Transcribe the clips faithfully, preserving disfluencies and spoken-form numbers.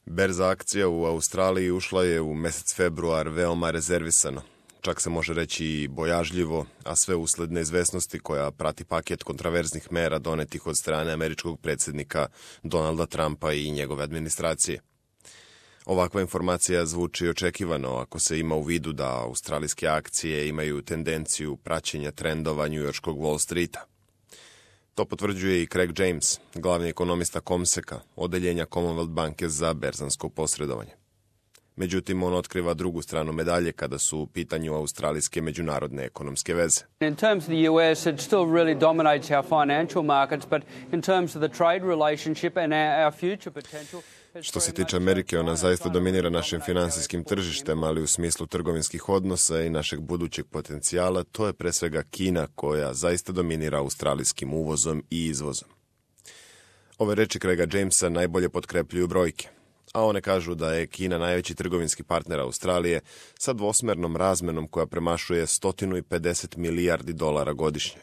Berza akcija u Australiji ušla je u mjesec februar veoma rezervisano. Čak se može reći i bojažljivo, a sve usled neizvesnosti koja prati paket kontraverznih mera donetih od strane američkog predsjednika Donalda Trumpa i njegove administracije. Ovakva informacija zvuči očekivano ako se ima u vidu da australijske akcije imaju tendenciju praćenja trendova njujorškog Wall Streeta. To potvrđuje i Craig James, glavni ekonomista Comseka, odeljenja Commonwealth banke za berzansko posredovanje. Međutim, on otkriva drugu stranu medalje kada su u pitanju australijske međunarodne ekonomske veze. In terms of the U S, it still really dominates our financial markets, but in terms of the trade relationship and our, our future potential. Što se tiče Amerike, ona zaista dominira našim finansijskim tržištem, ali u smislu trgovinskih odnosa i našeg budućeg potencijala, to je pre svega Kina koja zaista dominira australijskim uvozom i izvozom. Ove reči Craiga Jamesa najbolje potkrepljuju brojke, a one kažu da je Kina najveći trgovinski partner Australije sa dvosmernom razmenom koja premašuje sto pedeset milijardi dolara godišnje.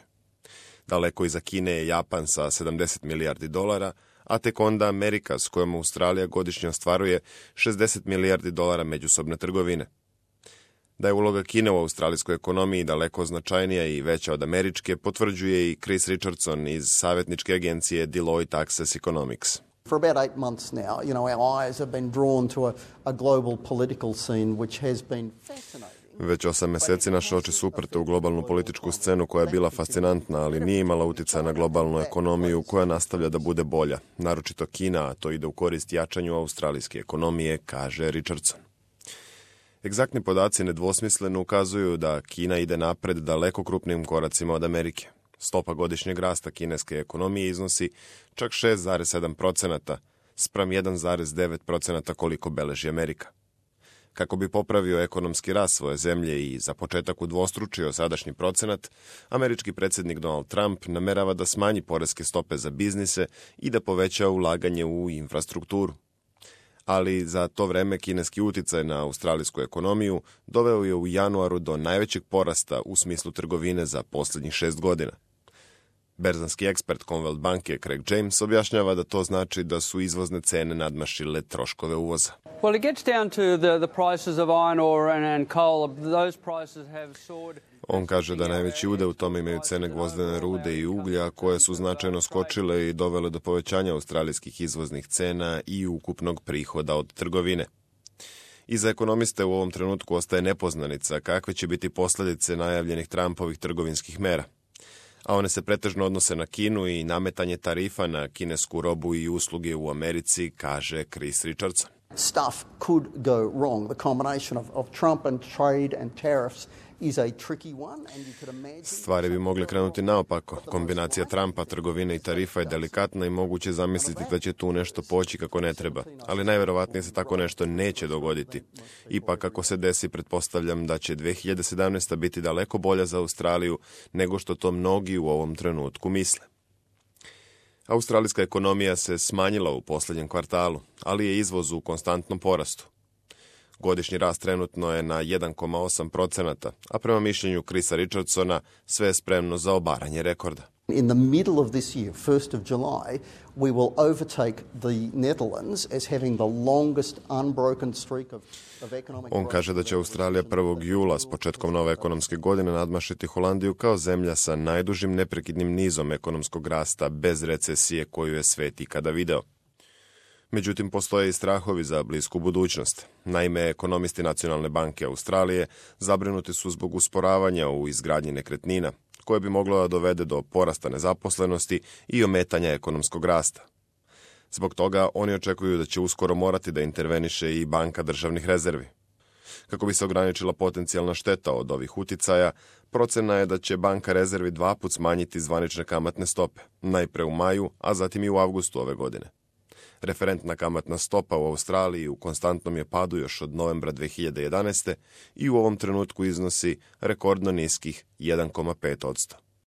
Daleko iza Kine je Japan sa sedamdeset milijardi dolara, a tek onda Amerika s kojom Australija godišnje ostvaruje šezdeset milijardi dolara međusobne trgovine. Da je uloga Kine u australijskoj ekonomiji daleko značajnija i veća od američke, potvrđuje i Chris Richardson iz savjetničke agencije Deloitte Access Economics. For about eight months now, you know, our eyes have been drawn to a, a global political scene which has been fascinating. Već osam mjeseci naše oči su uprte u globalnu političku scenu koja je bila fascinantna, ali nije imala utjecaja na globalnu ekonomiju koja nastavlja da bude bolja. Naročito Kina, a to ide u korist jačanju australijske ekonomije, kaže Richardson. Egzaktni podaci nedvosmisleno ukazuju da Kina ide napred daleko krupnijim koracima od Amerike. Stopa godišnjeg rasta kineske ekonomije iznosi čak šest zarez sedam posto spram jedan zarez devet posto koliko beleži Amerika. Kako bi popravio ekonomski rast svoje zemlje i za početak udvostručio sadašnji procenat, američki predsjednik Donald Trump namerava da smanji poreske stope za biznise i da poveća ulaganje u infrastrukturu. Ali za to vreme kineski uticaj na australijsku ekonomiju doveo je u januaru do najvećeg porasta u smislu trgovine za posljednjih šest godina. Berzanski ekspert Commonwealth banke Craig James objašnjava da to znači da su izvozne cene nadmašile troškove uvoza. Well, it gets down to the, the prices of iron ore and, and coal. Those prices have soared. On kaže da najveći udeo u tome imaju cene gvozdene rude i uglja, koje su značajno skočile i dovele do povećanja australijskih izvoznih cena i ukupnog prihoda od trgovine. I za ekonomiste u ovom trenutku ostaje nepoznanica kakve će biti posljedice najavljenih Trumpovih trgovinskih mera. A one se pretežno odnose na Kinu i nametanje tarifa na kinesku robu i usluge u Americi, kaže Chris Richardson. Stuff could go wrong. The combination of, of Trump and trade and tariffs is a tricky one, and you could imagine... Stvari bi mogle krenuti naopako. Kombinacija Trumpa, trgovine i tarifa je delikatna i moguće zamisliti da će tu nešto poći kako ne treba. Ali najverovatnije se tako nešto neće dogoditi. Ipak ako se desi, pretpostavljam da će dve hiljade sedamnaesta. biti daleko bolja za Australiju nego što to mnogi u ovom trenutku misle. Australijska ekonomija se smanjila u posljednjem kvartalu, ali je izvoz u konstantnom porastu. Godišnji rast trenutno je na jedan zarez osam posto, a prema mišljenju Chrisa Richardsona sve je spremno za obaranje rekorda. In the middle of this year, first of July, we will overtake the Netherlands as having the longest unbroken streak of, of economic growth. On kaže da će Australija prvog jula s početkom nove ekonomske godine nadmašiti Holandiju kao zemlja sa najdužim neprekidnim nizom ekonomskog rasta bez recesije koju je svet ikada video. Međutim, postoje i strahovi za blisku budućnost. Naime, ekonomisti Nacionalne banke Australije zabrinuti su zbog usporavanja u izgradnji nekretnina, koje bi moglo da dovede do porasta nezaposlenosti i ometanja ekonomskog rasta. Zbog toga oni očekuju da će uskoro morati da interveniše i Banka državnih rezervi. Kako bi se ograničila potencijalna šteta od ovih uticaja, procena je da će Banka rezervi dva put smanjiti zvanične kamatne stope, najpre u maju, a zatim i u avgustu ove godine. Referentna kamatna stopa u Australiji u konstantnom je padu još od novembra dve hiljade jedanaeste. i u ovom trenutku iznosi rekordno niskih jedan zarez pet posto.